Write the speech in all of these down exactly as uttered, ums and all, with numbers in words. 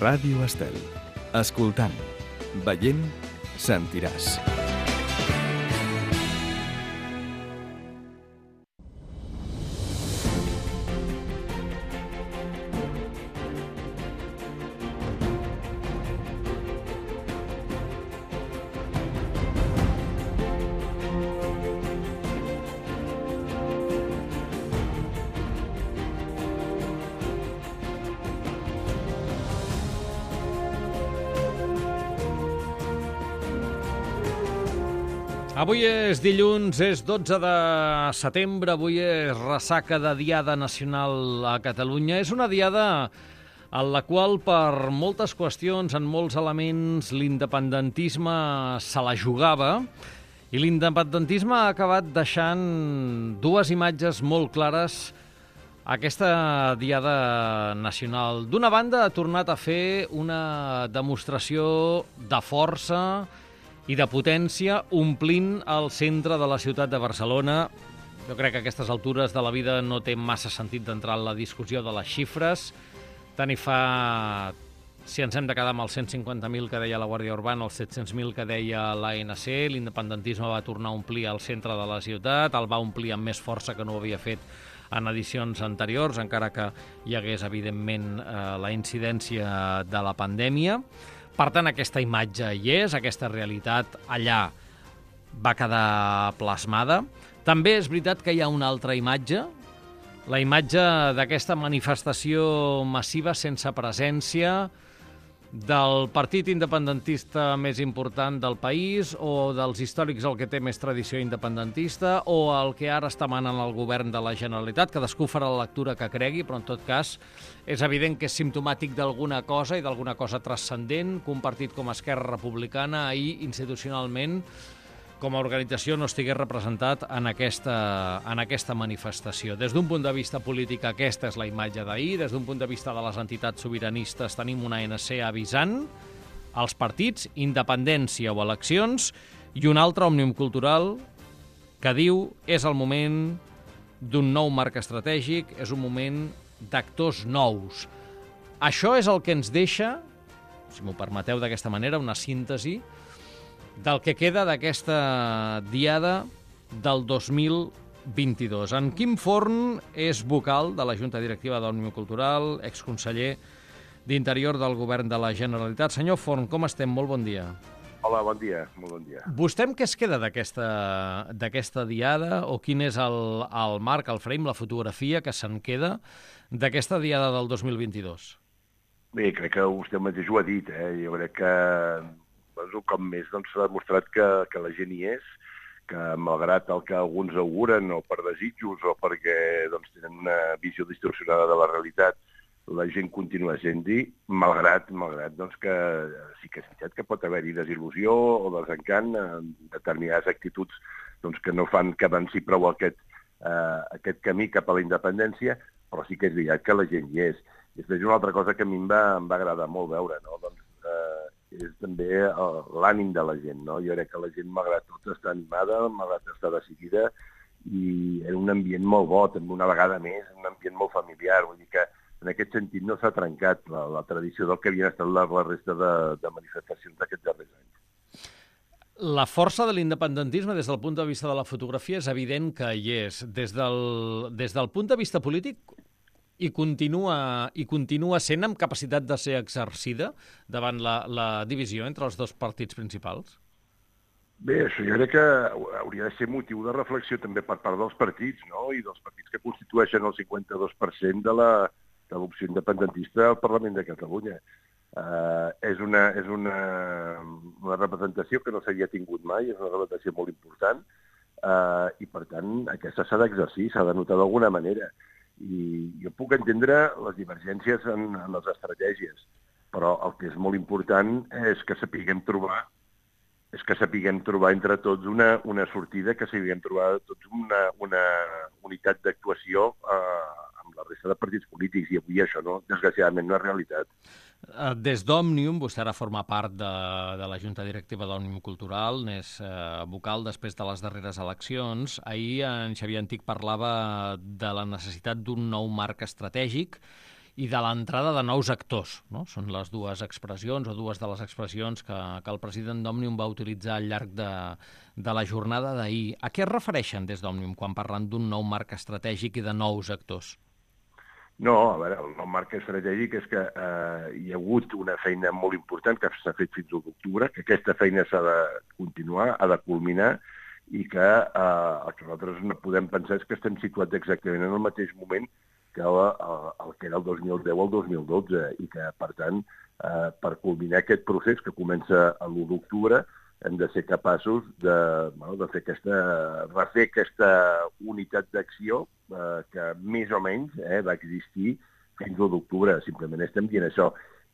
Ràdio Estel. Escoltant, veient, sentiràs. Avui és dilluns, és dotze de setembre, avui és ressaca de Diada Nacional a Catalunya. És una diada en la qual, per moltes qüestions, en molts elements, l'independentisme se la jugava i l'independentisme ha acabat deixant dues imatges molt clares aquesta Diada Nacional. D'una banda, ha tornat a fer una demostració de força i de potència, omplint el centre de la ciutat de Barcelona. Jo crec que a aquestes altures de la vida no té massa sentit d'entrar en la discussió de les xifres. Tant hi fa, si ens hem de quedar amb els cent cinquanta mil que deia la Guàrdia Urbana, els set-cents mil que deia l'A N C, l'independentisme va tornar a omplir el centre de la ciutat, el va omplir amb més força que no ho havia fet en edicions anteriors, encara que hi hagués, evidentment, eh, la incidència de la pandèmia. Per tant, aquesta imatge hi és, aquesta realitat allà va quedar plasmada. També és veritat que hi ha una altra imatge, la imatge d'aquesta manifestació massiva sense presència del partit independentista més important del país o dels històrics el que té més tradició independentista o el que ara està manant el govern de la Generalitat. Cadascú farà la lectura que cregui, però en tot cas és evident que és simptomàtic d'alguna cosa i d'alguna cosa transcendent que un partit com Esquerra Republicana ahir institucionalment com a organització no estigués representat en aquesta, en aquesta manifestació. Des d'un punt de vista polític, aquesta és la imatge d'ahir. Des d'un punt de vista de les entitats sobiranistes, tenim una A N C avisant als partits, independència o eleccions, i un altre Òmnium Cultural que diu és el moment d'un nou marc estratègic, és un moment d'actors nous. Això és el que ens deixa, si m'ho permeteu d'aquesta manera, una síntesi del que queda d'aquesta diada del dos mil vint-i-dos. En Quim Forn és vocal de la Junta Directiva d'Òmnium Cultural, exconseller d'Interior del Govern de la Generalitat. Senyor Forn, com estem? Molt bon dia. Hola, bon dia. Molt bon dia. Vostè amb què es queda d'aquesta d'aquesta diada o quin és el, el marc, el frame, la fotografia que se'n queda d'aquesta diada del dos mil vint-i-dos? Bé, crec que vostè mateix ho ha dit. Eh? Jo crec que un cop més doncs, s'ha demostrat que, que la gent hi és, que malgrat el que alguns auguren o per desitjos o perquè doncs, tenen una visió distorsionada de la realitat, la gent continua sent-hi, malgrat, malgrat doncs, que sí que és veritat que pot haver-hi desil·lusió o desencant en determinades actituds doncs, que no fan que avanci prou aquest, eh, aquest camí cap a la independència, però sí que és veritat que la gent hi és. I després una altra cosa que a mi em va, em va agradar molt veure, no? doncs, eh, és també l'ànim de la gent, no? Jo crec que la gent, malgrat tot, està animada, malgrat està decidida, i en un ambient molt bo, també una vegada més, un ambient molt familiar. Vull dir que en aquest sentit no s'ha trencat la, la tradició del que havien estat la, la resta de, de manifestacions d'aquests darrers anys. La força de l'independentisme, des del punt de vista de la fotografia, és evident que hi és. Des del, des del punt de vista polític, i continua, i continua sent amb capacitat de ser exercida davant la, la divisió entre els dos partits principals? Bé, això jo crec que hauria de ser motiu de reflexió també per part dels partits, no? I dels partits que constitueixen el cinquanta-dos per cent de la de l'opció independentista al Parlament de Catalunya. Uh, és una, és una, una representació que no s'havia tingut mai, és una representació molt important, uh, i per tant aquesta s'ha d'exercir, s'ha de notar d'alguna manera. I jo puc entendre les divergències en, en les estratègies, però el que és molt important és que sapiguem trobar és que sapiguem trobar entre tots una, una sortida, que sapiguem trobar tots una, una unitat d'actuació eh, amb la resta de partits polítics, i avui això, no, desgraciadament, no és realitat. Des d'Òmnium, vostè ara forma part de, de la Junta Directiva d'Òmnium Cultural, n'és eh, vocal després de les darreres eleccions. Ahir en Xavier Antic parlava de la necessitat d'un nou marc estratègic i de l'entrada de nous actors, no? Són les dues expressions o dues de les expressions que, que el president d'Òmnium va utilitzar al llarg de, de la jornada d'ahir. A què es refereixen des d'Òmnium quan parlen d'un nou marc estratègic i de nous actors? No, a veure, el nou marc estratègic és que eh, hi ha hagut una feina molt important que s'ha fet fins a l'octubre, que aquesta feina s'ha de continuar, ha de culminar, i que eh, el que nosaltres no podem pensar és que estem situats exactament en el mateix moment que el, el, el que era el dos mil deu al dos mil dotze, i que, per tant, eh, per culminar aquest procés que comença l'u d'octubre, hem de ser capaços de, bueno, de fer aquesta, refer aquesta unitat d'acció eh, que més o menys eh, va existir fins a l'u d'octubre. Simplement estem dient això.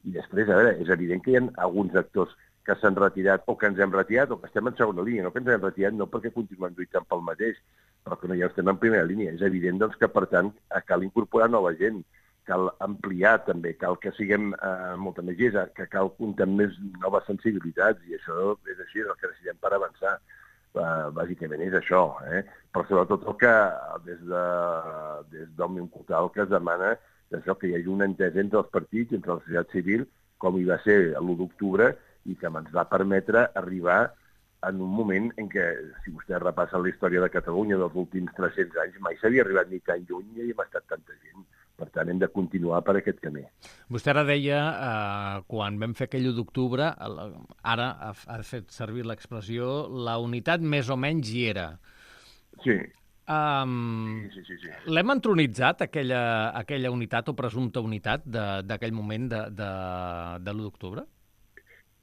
I després, a veure, és evident que hi ha alguns actors que s'han retirat o que ens hem retirat o que estem en segona línia. No que ens hem retirat no perquè continuem lluitant pel mateix, però que no ja estem en primera línia. És evident doncs, que, per tant, cal incorporar nova gent, cal ampliar també, cal que siguem eh, molta més gent, que cal comptar amb més noves sensibilitats, i això és així, el que necessitem per avançar. Uh, bàsicament és això, eh? Però sobretot el que des de des d'Òmnium Cultural que es demana és això, que hi hagi una entesa entre els partits, entre la societat civil, com hi va ser l'u d'octubre, i que ens va permetre arribar en un moment en què, si vostè repassa la història de Catalunya dels últims tres-cents anys, mai s'havia arribat ni tan lluny i hem estat tanta gent. Per tant, hem de continuar per aquest camí. Vostè ara deia, eh, quan vam fer aquell u d'octubre, ara ha, ha fet servir l'expressió, la unitat més o menys hi era. Sí. Um, sí, sí, sí, sí. L'hem entronitzat, aquella, aquella unitat o presumpta unitat d'aquell moment de, de, de l'u d'octubre?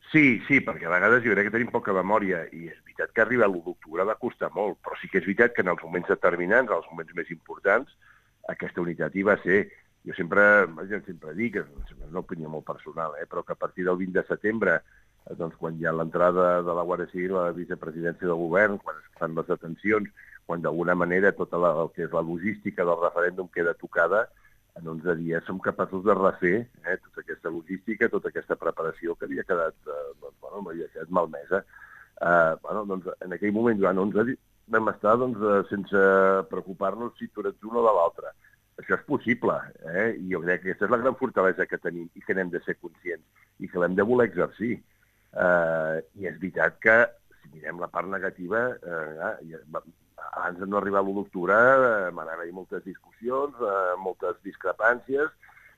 Sí, sí, perquè a vegades jo crec que tenim poca memòria, i és veritat que arribar a l'u d'octubre va costar molt, però sí que és veritat que en els moments determinants, en els moments més importants, aquesta unitat hi va ser. Jo sempre, jo sempre dic, és una opinió molt personal, eh, però que a partir del vint de setembre, doncs, quan hi ha l'entrada de la Guàrdia Civil a la vicepresidència del govern, quan es fan les detencions, quan d'alguna manera tota la, el que és la logística del referèndum queda tocada, en onze dies som capaços de refer eh, tota aquesta logística, tota aquesta preparació que havia quedat, eh, doncs, bueno, havia quedat malmesa. Eh, bueno, doncs, en aquell moment, durant onze dies, vam estar doncs, sense preocupar-nos si tu ets un o de l'altre. Això és possible, eh? I jo crec que aquesta és la gran fortalesa que tenim i que n'hem de ser conscients i que l'hem de voler exercir. Eh, I és veritat que, si mirem la part negativa, eh, abans de no arribar a l'u d'octubre eh, van haver-hi moltes discussions, eh, moltes discrepàncies,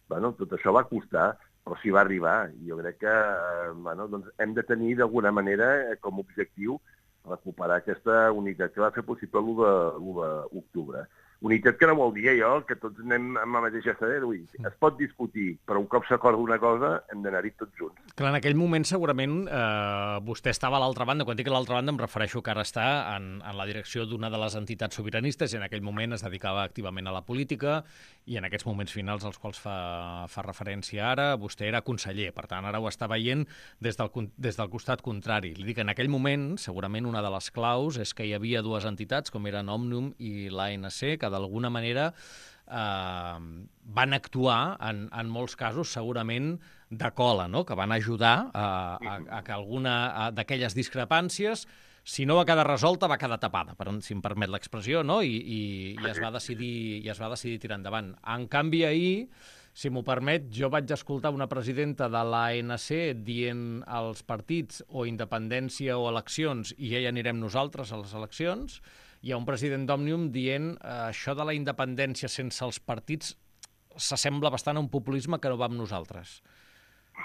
bueno, tot això va costar, però sí va arribar. I jo crec que eh, bueno, doncs hem de tenir d'alguna manera eh, com a objectiu recuperar aquesta unitat que va fer possible l'u d'octubre. Unitat que no vol dir allò que tots anem amb la mateixa estrella. Es pot discutir, però un cop s'acorda una cosa hem d'anar-hi tots junts. Clar, en aquell moment segurament eh, vostè estava a l'altra banda. Quan dic a l'altra banda em refereixo que ara està en, en la direcció d'una de les entitats sobiranistes i en aquell moment es dedicava activament a la política i en aquests moments finals als quals fa, fa referència ara, vostè era conseller. Per tant, ara ho està veient des del, des del costat contrari. Li dic, en aquell moment, segurament una de les claus és que hi havia dues entitats, com eren Òmnium i l'A N C, que d'alguna manera eh, van actuar en, en molts casos segurament de cola, no? Que van ajudar a, a, a que alguna d'aquelles discrepàncies, si no va quedar resolta, va quedar tapada, per, si em permet l'expressió, no? I, i, i, es va decidir, i es va decidir tirar endavant. En canvi, ahir, si m'ho permet, jo vaig escoltar una presidenta de l'A N C dient als partits o independència o eleccions i ja hi anirem nosaltres a les eleccions. Hi ha un president d'Òmnium dient eh, això de la independència sense els partits s'assembla bastant a un populisme que no va amb nosaltres.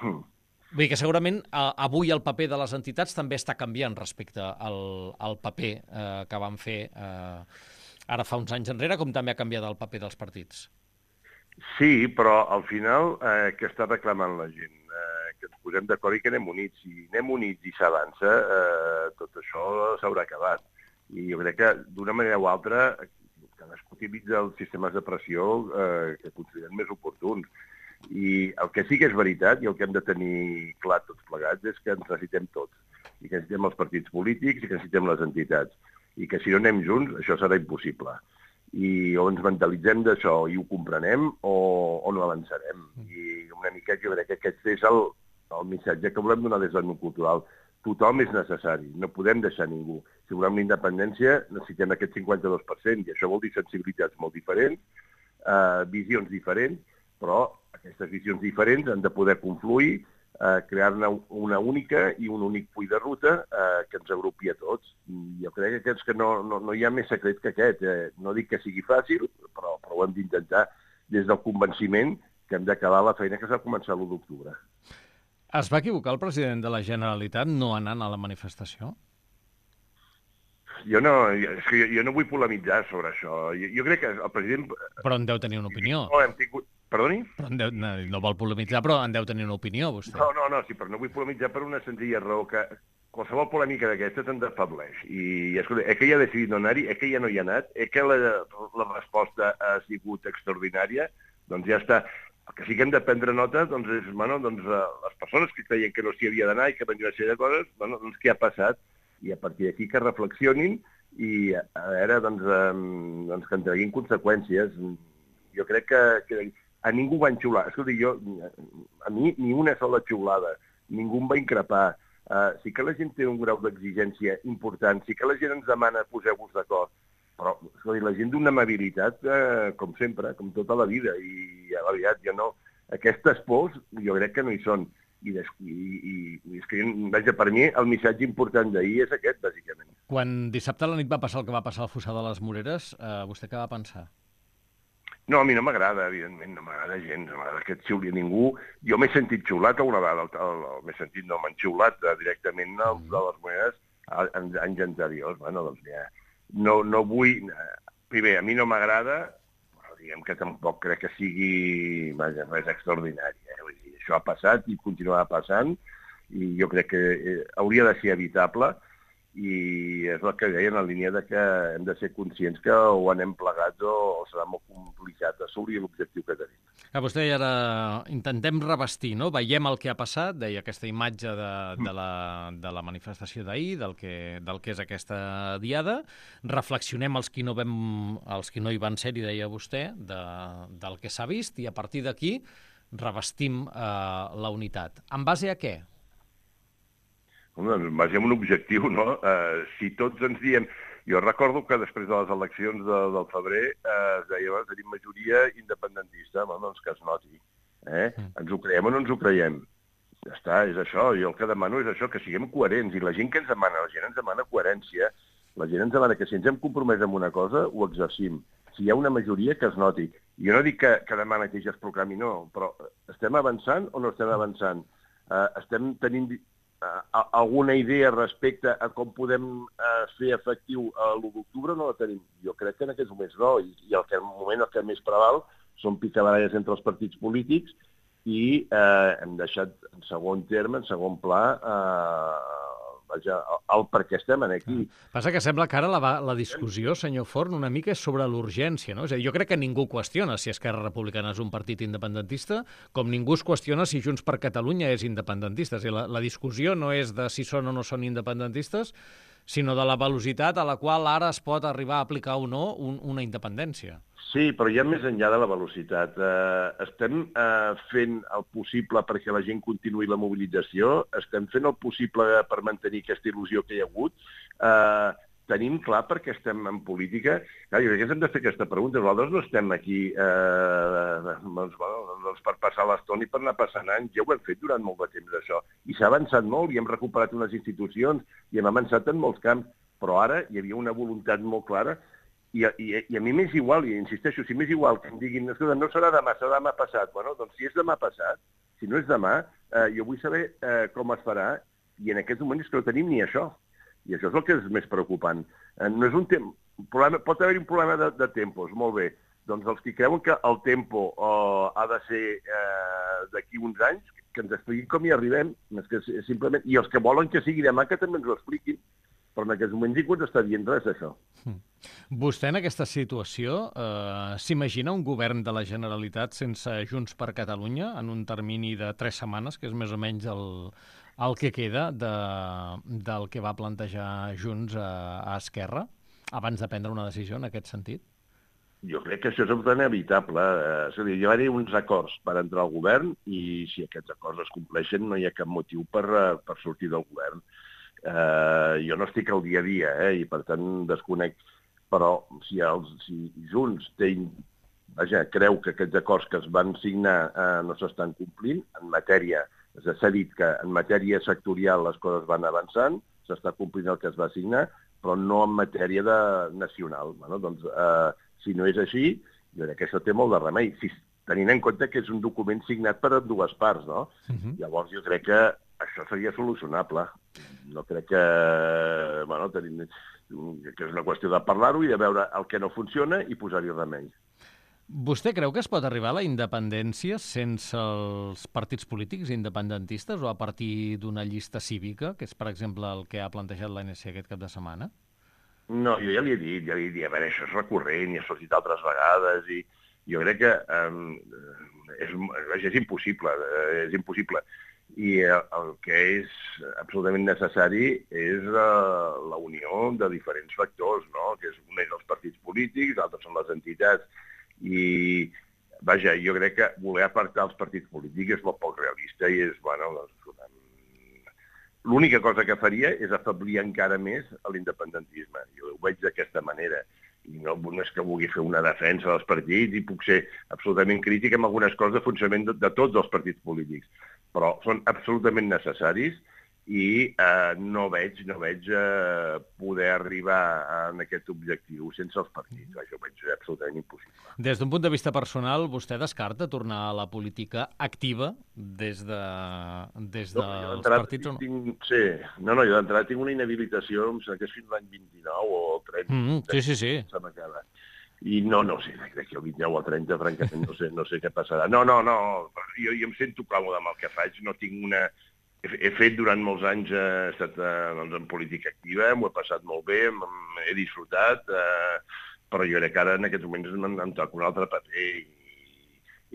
Mm. Vull dir que segurament eh, avui el paper de les entitats també està canviant respecte al, al paper eh, que van fer eh, ara fa uns anys enrere, com també ha canviat el paper dels partits. Sí, però al final eh, què està reclamant la gent? Eh, que ens posem d'acord i que anem units. Si anem units i s'avança, eh, tot això s'haurà acabat. I jo crec que, d'una manera o altra, cadascú utilitza els sistemes de pressió eh, que consideren més oportuns. I el que sí que és veritat, i el que hem de tenir clar tots plegats, és que ens necessitem tots. I que necessitem els partits polítics i que necessitem les entitats. I que si no anem junts, això serà impossible. I o ens mentalitzem d'això i ho comprenem o, o no avançarem. I una mica jo crec que aquest és el, el missatge que volem donar des del món cultural. Tothom és necessari, no podem deixar ningú. Si volem la independència, necessitem aquest cinquanta-dos per cent, i això vol dir sensibilitats molt diferents, eh, visions diferents, però aquestes visions diferents han de poder confluir, eh, crear-ne una única i un únic full de ruta eh, que ens agrupi a tots. I jo crec que, aquests que no, no, no hi ha més secret que aquest. Eh? No dic que sigui fàcil, però, però ho hem d'intentar des del convenciment que hem d'acabar la feina que s'ha començat l'u d'octubre. Es va equivocar el president de la Generalitat no anant a la manifestació? Jo no, és que jo, jo no vull polemitzar sobre això. Jo, jo crec que el president... Però en deu tenir una opinió. No, hem tingut... Perdoni? Però en deu, no, no vol polemitzar, però en deu tenir una opinió, vostè. No, no, no, sí, però no vull polemitzar per una senzilla raó, que qualsevol polèmica d'aquestes ens afebleix. I, escolta, és que ella ha decidit no anar-hi, és que ja no hi ha anat, és que la, la resposta ha sigut extraordinària, doncs ja està. El que sí que hem de prendre nota doncs, és, bueno, doncs, les persones que creien que no s'hi havia d'anar i que venien a ser de coses, bueno, doncs què ha passat? I a partir d'aquí que reflexionin i a veure, doncs, eh, doncs que en treguin conseqüències. Jo crec que, que a ningú va enxiular. Escolta, jo, a mi ni una sola xiulada, ningú em va increpar. Uh, sí que la gent té un grau d'exigència important, sí que la gent ens demana poseu-vos d'acord, però escolta, la gent d'una amabilitat, uh, com sempre, com tota la vida, i a la veritat, jo no... Aquestes pors jo crec que no hi són. I, i, i, i és que, vaja, per mi el missatge important d'ahir és aquest, bàsicament. Quan dissabte a la nit va passar el que va passar al Fossar de les Moreres, eh, vostè què va pensar? No, a mi no m'agrada, evidentment, no m'agrada gens, no m'agrada que et xiuli ningú. Jo m'he sentit xiulat alguna vegada, el, el, el, m'he sentit, no, m'han xiulat eh, directament el, mm. de les Moreres en anys anteriors. Bueno, doncs ja, no, no vull... Primer, a mi no m'agrada, però diguem que tampoc crec que sigui, vaja, res extraordinari, eh? Vull dir, això ha passat i continuarà passant i jo crec que eh, hauria de ser evitable i és el que deia en la línia de que hem de ser conscients que o anem plegats o, o serà molt complicat assolir l'objectiu que tenim. A vostè ara intentem revestir, no? Veiem el que ha passat, deia aquesta imatge de, de, la, de la manifestació d'ahir, del, que, del que és aquesta diada, reflexionem els qui no, vam, els qui no hi van ser, i deia vostè, de, del que s'ha vist, i a partir d'aquí revestim eh, la unitat. En base a què? Doncs en base a un objectiu, no? Eh, si tots ens diem... Jo recordo que després de les eleccions de, del febrer eh, es deia que tenim majoria independentista, bueno, doncs que es noti. Eh? Ens ho creiem o no ens ho creiem? Ja està, és això. Jo el que demano és això, que siguem coherents. I la gent que ens demana, la gent ens demana coherència. La gent ens demana que si ens hem compromès amb una cosa, ho exercim. Si hi ha una majoria, que es noti. I jo no dic que, que demà mateix es proclami, no, però estem avançant o no estem avançant? Uh, estem tenint uh, alguna idea respecte a com podem uh, fer efectiu l'u d'octubre? No la tenim. Jo crec que en aquests moments no, i, i el que en el moment el que més preval són picabaralles entre els partits polítics i eh, hem deixat en segon terme, en segon pla, eh, vaja, el per què estem aquí. Passa que sembla que ara la, la discussió, senyor Forn, una mica és sobre l'urgència, no? És a dir, jo crec que ningú qüestiona si Esquerra Republicana és un partit independentista, com ningú es qüestiona si Junts per Catalunya és independentista. És a dir, la, la discussió no és de si són o no són independentistes, sinó de la velocitat a la qual ara es pot arribar a aplicar o no un, una independència. Sí, però ja més enllà de la velocitat. Eh, estem eh, fent el possible perquè la gent continuï la mobilització, estem fent el possible per mantenir aquesta il·lusió que hi ha hagut. Eh, tenim clar perquè estem en política. Clar, jo crec que hem de fer aquesta pregunta. Nosaltres no estem aquí eh, doncs, bueno, doncs per passar l'estona i per anar passant anys. Ja ho hem fet durant molt de temps, això. I s'ha avançat molt i hem recuperat unes institucions i hem avançat en molts camps. Però ara hi havia una voluntat molt clara. I a, i, I a mi m'és igual, i insisteixo, si m'és igual que em diguin no serà demà, serà demà passat. Bueno, doncs si és demà passat, si no és demà, eh, jo vull saber eh, com es farà, i en aquest moment és que no tenim ni això. I això és el que és més preocupant. Eh, no és un tem... problema... Pot haver-hi un problema de, de tempos, molt bé. Doncs els que creuen que el tempo eh, ha de ser eh, d'aquí uns anys, que ens expliquin com hi arribem, és que simplement... i els que volen que sigui demà que també ens ho expliquin. Però en aquests moments ningú ens està dient res d'això. Vostè en aquesta situació eh, s'imagina un govern de la Generalitat sense Junts per Catalunya en un termini de tres setmanes, que és més o menys el, el que queda de, del que va plantejar Junts a, a Esquerra, abans de prendre una decisió en aquest sentit? Jo crec que això és absolutament evitable. Eh, és a dir, hi va haver uns acords per entrar al govern i si aquests acords es compleixen no hi ha cap motiu per, per sortir del govern. Uh, jo no estic al dia a dia, eh, i per tant desconec, però si, els, si Junts té vaja, creu que aquests acords que es van signar eh, no s'estan complint. En matèria, s'ha dit que en matèria sectorial les coses van avançant, s'està complint el que es va signar, però no en matèria de nacional. Bueno, doncs, eh, si no és així, jo crec que això té molt de remei, si, tenint en compte que és un document signat per dues parts, no? Uh-huh. Llavors jo crec que això seria solucionable. No crec que... Bueno, tenim, que és una qüestió de parlar-ho i de veure el que no funciona i posar-hi remei. Vostè creu que es pot arribar a la independència sense els partits polítics independentistes o a partir d'una llista cívica, que és, per exemple, el que ha plantejat l'A N C aquest cap de setmana? No, jo ja li he dit, ja li he dit, a veure, això és recurrent i ha sortit altres vegades i jo crec que um, és, és impossible, és impossible. I el que és absolutament necessari és uh, la unió de diferents factors, no? Que és un és els partits polítics, altres són les entitats, i vaja, jo crec que voler apartar els partits polítics és molt poc realista i és, bueno, doncs, l'única cosa que faria és afeblir encara més l'independentisme. Jo ho veig d'aquesta manera. I no, no és que vulgui fer una defensa dels partits i puc ser absolutament crític amb algunes coses de funcionament de, de tots els partits polítics, però són absolutament necessaris i eh, no veig, no veig eh, poder arribar a aquest objectiu sense els partits. Això ho veig absolutament impossible. Des d'un punt de vista personal, vostè descarta tornar a la política activa des, de, des no, dels partits o no? Tinc, sí, no, no, jo d'entrada tinc una inhabilitació, em sembla que és fins l'any vint-i-nou o trenta. Mm -hmm. Sí, sí, sí. I no, no sé, crec que el vint-i-nou o trenta, francament, no sé, no sé què passarà. No, no, no, jo, jo em sento còmode amb el que faig, no tinc una... He fet durant molts anys, he estat doncs, en política activa, m'ho he passat molt bé, he disfrutat, eh, però jo crec que ara en aquests moments em, em toca un altre paper i,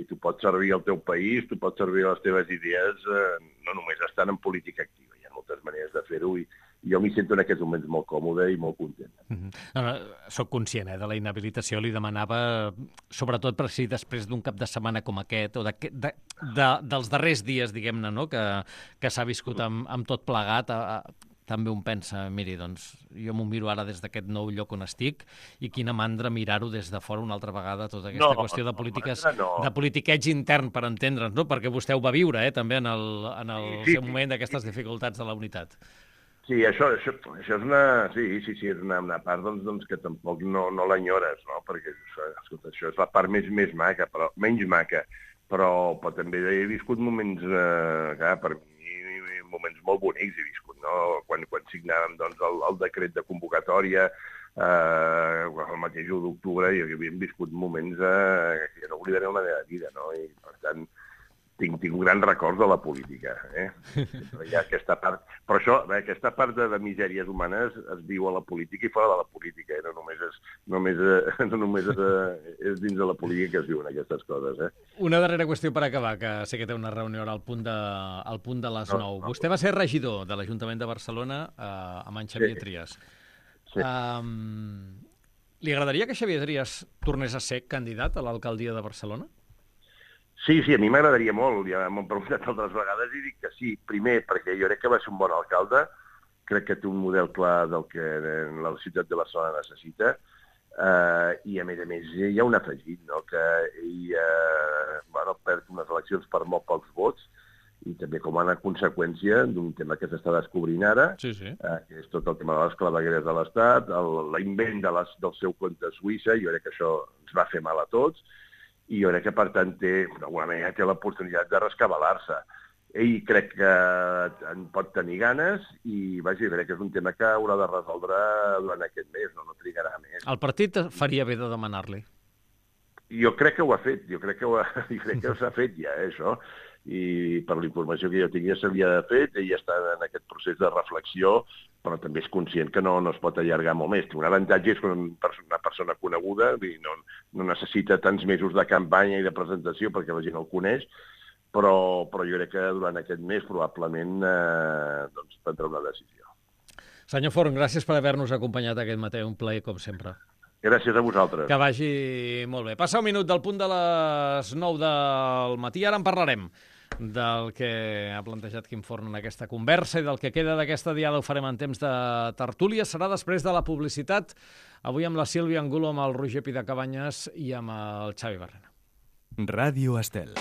i tu pots servir al teu país, tu pots servir a les teves idees, eh, no només estant en política activa, hi ha moltes maneres de fer-ho i, i jo m'hi sento en aquests moments molt còmode i molt content. Mm-hmm. No, no, soc conscient eh, de la inhabilitació, li demanava, sobretot per si després d'un cap de setmana com aquest, o de, de, de, dels darrers dies, diguem-ne, no? que, que s'ha viscut amb, amb tot plegat, a, a, també un pensa, miri, doncs, jo m'ho miro ara des d'aquest nou lloc on estic i quina mandra mirar-ho des de fora una altra vegada, tota aquesta no, qüestió de polítiques, no. de politiqueig intern, per entendre'ns, no? Perquè vostè ho va viure, eh, també en el, en el sí, seu sí, moment d'aquestes sí. dificultats de la unitat. Sí, això, això, això és una... Sí, sí, sí, és una, una part doncs, doncs, que tampoc no, no l'enyores, no? Perquè escolta, això és la part més, més maca, però menys maca. Però, però també he viscut moments, eh, clar, per mi, moments molt bonics he viscut, no? Quan, quan signàvem doncs, el, el decret de convocatòria, eh, el mateix u d'octubre, i havíem viscut moments eh, que no oblidaré en la meva vida, no? I, per tant, Tinc, tinc un gran record de la política, eh? Hi ha aquesta part... Però això, bé, aquesta part de, de misèries humanes es viu a la política i fora de la política, eh? No només, és, només, eh, no només és, eh, és dins de la política que es viuen aquestes coses, eh? Una darrera qüestió per acabar, que sé que té una reunió al punt de, al punt de les nou. No, no. Vostè va ser regidor de l'Ajuntament de Barcelona eh, amb en Xavier sí. Trias. Sí. Um, li agradaria que Xavier Trias tornés a ser candidat a l'alcaldia de Barcelona? Sí, sí, a mi m'agradaria molt, ja m'ho han preguntat altres vegades i dic que sí. Primer, perquè jo crec que va ser un bon alcalde, crec que té un model clar del que la ciutat de Barcelona necessita, eh, i a més a més hi ha un afegit, no? Que ell eh, bueno, perd unes eleccions per molt pocs vots, i també com a conseqüència d'un tema que s'està descobrint ara, sí, sí. Eh, que és tot el tema de les clavegueres de l'Estat, l'invent de les, del seu compte Suïssa, jo crec que això ens va fer mal a tots, i jo crec que, per tant, té, d'alguna manera, té l'oportunitat de rescabalar-se. Ell crec que en pot tenir ganes i, vaja, jo crec que és un tema que haurà de resoldre durant aquest mes, no, no trigarà més. El partit faria bé de demanar-li? Jo crec que ho ha fet, jo crec que ho ha, jo crec que s'ha fet ja, eh, això. I per la informació que jo tinc ja s'havia fet, ell està en aquest procés de reflexió, però també és conscient que no, no es pot allargar molt més. Té un avantatge, és una persona coneguda, no, no necessita tants mesos de campanya i de presentació perquè la gent el coneix, però, però jo crec que durant aquest mes probablement eh, doncs, prendrà una decisió. Senyor Forn, gràcies per haver-nos acompanyat aquest matí, un plaer com sempre. Gràcies a vosaltres. Que vagi molt bé. Passa un minut del punt de les nou del matí, ara en parlarem del que ha plantejat Quim Forn en aquesta conversa i del que queda d'aquesta diada ho farem en temps de tertúlia. Serà després de la publicitat, avui amb la Sílvia Angulo, amb el Roger Pidacabanyes i amb el Xavi Barrena. Ràdio Estel.